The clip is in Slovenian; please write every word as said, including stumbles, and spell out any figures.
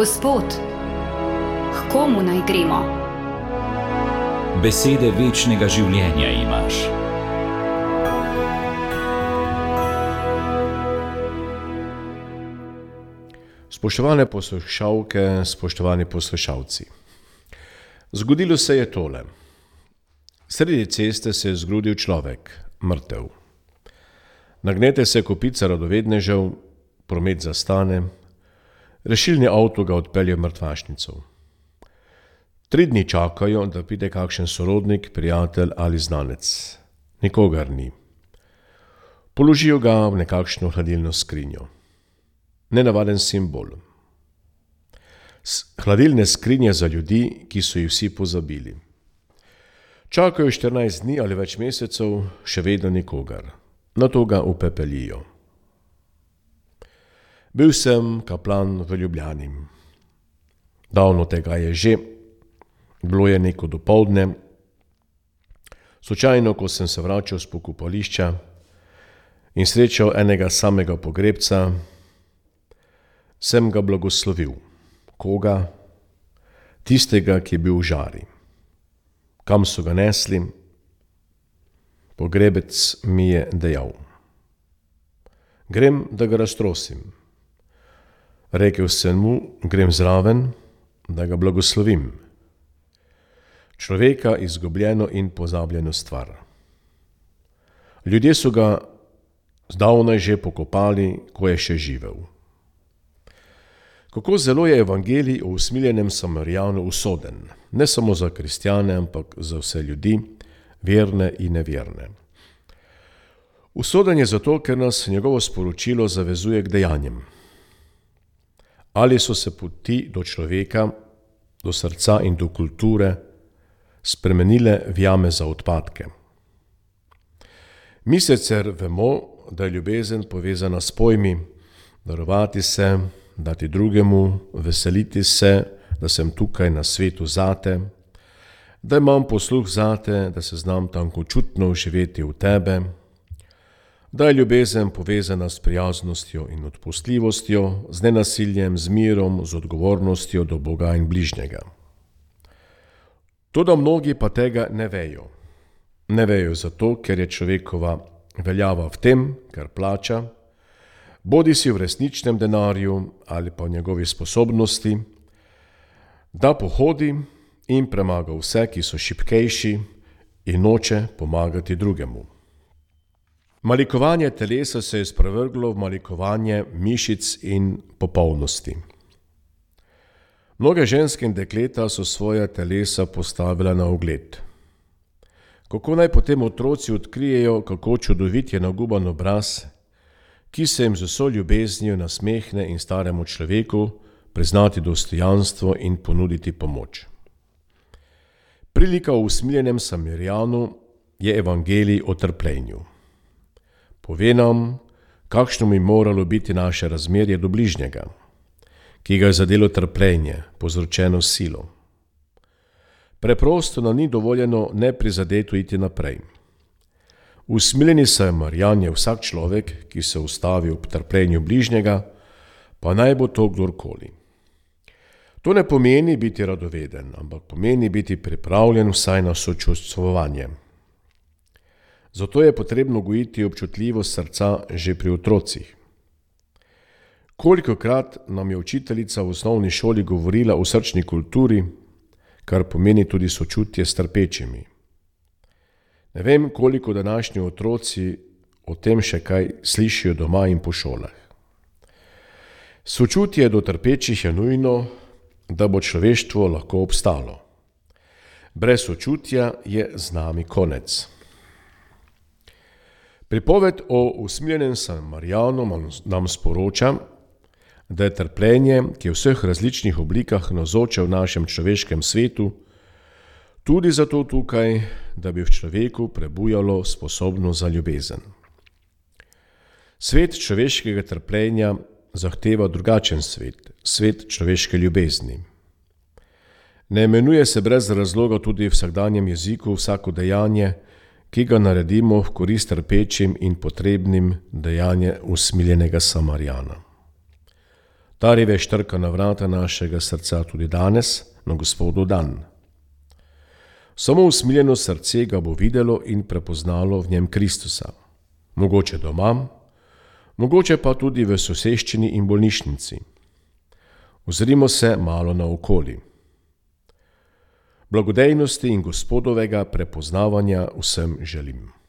Gospod, k komu naj gremo? Besede večnega življenja imaš. Spoštovane poslušalke, spoštovani poslušalci. Zgodilo se je tole. Sredi ceste se je zgrudil človek, mrtev. Nagnete se kopica radovednežev, promet zastane, rešilni avto ga odpelje v mrtvašnico. Tri dni čakajo, da pride kakšen sorodnik, prijatelj ali znanec. Nikogar ni. Položijo ga v nekakšno hladilno skrinjo. Nenavaden simbol. Hladilne skrinje za ljudi, ki so jih vsi pozabili. Čakajo štirinajst dni ali več mesecev, še vedno nikogar. Nato ga upepelijo. Bil sem kaplan v Ljubljani. Davno tega je že, bilo je neko dopoldne. Slučajno, ko sem se vračal s pokopališča in srečal enega samega pogrebca, sem ga blagoslovil. Koga? Tistega, ki je bil v žari. Kam so ga nesli? Pogrebec mi je dejal: grem, da ga raztrosim. Rekel sem mu, grem zraven, da ga blagoslovim. Človeka izgubljeno in pozabljeno stvar. Ljudje so ga zdavnaj že pokopali, ko je še živel. Kako zelo je evangelij o usmiljenem Samarijanu usoden, ne samo za kristjane, ampak za vse ljudi, verne in neverne. Usoden je zato, ker nas njegovo sporočilo zavezuje k dejanjem. Ali so se poti do človeka, do srca in do kulture spremenile v jame za odpadke. Mi sicer vemo, da je ljubezen povezana s pojmi, darovati se, dati drugemu, veseliti se, da sem tukaj na svetu zate, da imam posluh zate, da se znam tankočutno vživeti v tebe, da je ljubezen povezana s prijaznostjo in odpustljivostjo, z nenasiljem, z mirom, z odgovornostjo do Boga in bližnjega. Toda mnogi pa tega ne vejo. Ne vejo zato, ker je človekova veljava v tem, kar plača, bodi si v resničnem denarju ali pa v njegovi sposobnosti, da pohodi in premaga vse, ki so šibkejši in noče pomagati drugemu. Malikovanje telesa se je sprevrglo v malikovanje mišic in popolnosti. Mnoge ženske in dekleta so svoja telesa postavila na ogled. Kako naj potem otroci odkrijejo, kako čudovit je naguban obraz, ki se jim z vso ljubeznijo nasmehne in staremu človeku priznati dostojanstvo in ponuditi pomoč. Prilika o usmiljenem Samarijanu je evangelij o trpljenju. Pove nam, kakšno bi moralo biti naše razmerje do bližnjega, ki ga je zadelo trpljenje, povzročeno silo. Preprosto nam ni dovoljeno neprizadeto iti naprej. Usmiljeni Samarijan je vsak človek, ki se ustavi ob trpljenju bližnjega, pa naj bo to kdorkoli. To ne pomeni biti radoveden, ampak pomeni biti pripravljen vsaj na sočustvovanje. Zato je potrebno gojiti občutljivost srca že pri otrocih. Kolikokrat nam je učiteljica v osnovni šoli govorila o srčni kulturi, kar pomeni tudi sočutje s trpečimi. Ne vem, koliko današnji otroci o tem še kaj slišijo doma in po šolah. Sočutje do trpečih je nujno, da bo človeštvo lahko obstalo. Brez sočutja je z nami konec. Pripoved o usmiljenem Samarijanu nam sporoča, da je trpljenje, ki je v vseh različnih oblikah navzoče v našem človeškem svetu, tudi zato tukaj, da bi v človeku prebujalo sposobnost za ljubezen. Svet človeškega trpljenja zahteva drugačen svet, svet človeške ljubezni. Ne imenuje se brez razloga tudi v vsakdanjem jeziku vsako dejanje, ki ga naredimo v korist trpečim in potrebnim, dejanje usmiljenega Samarijana. Ta revež trka na vrata našega srca tudi danes, na Gospodov dan. Samo usmiljeno srce ga bo videlo in prepoznalo v njem Kristusa. Mogoče doma, mogoče pa tudi v soseščini in bolnišnici. Ozrimo se malo naokoli. Blagodejnosti in Gospodovega prepoznavanja vsem želim.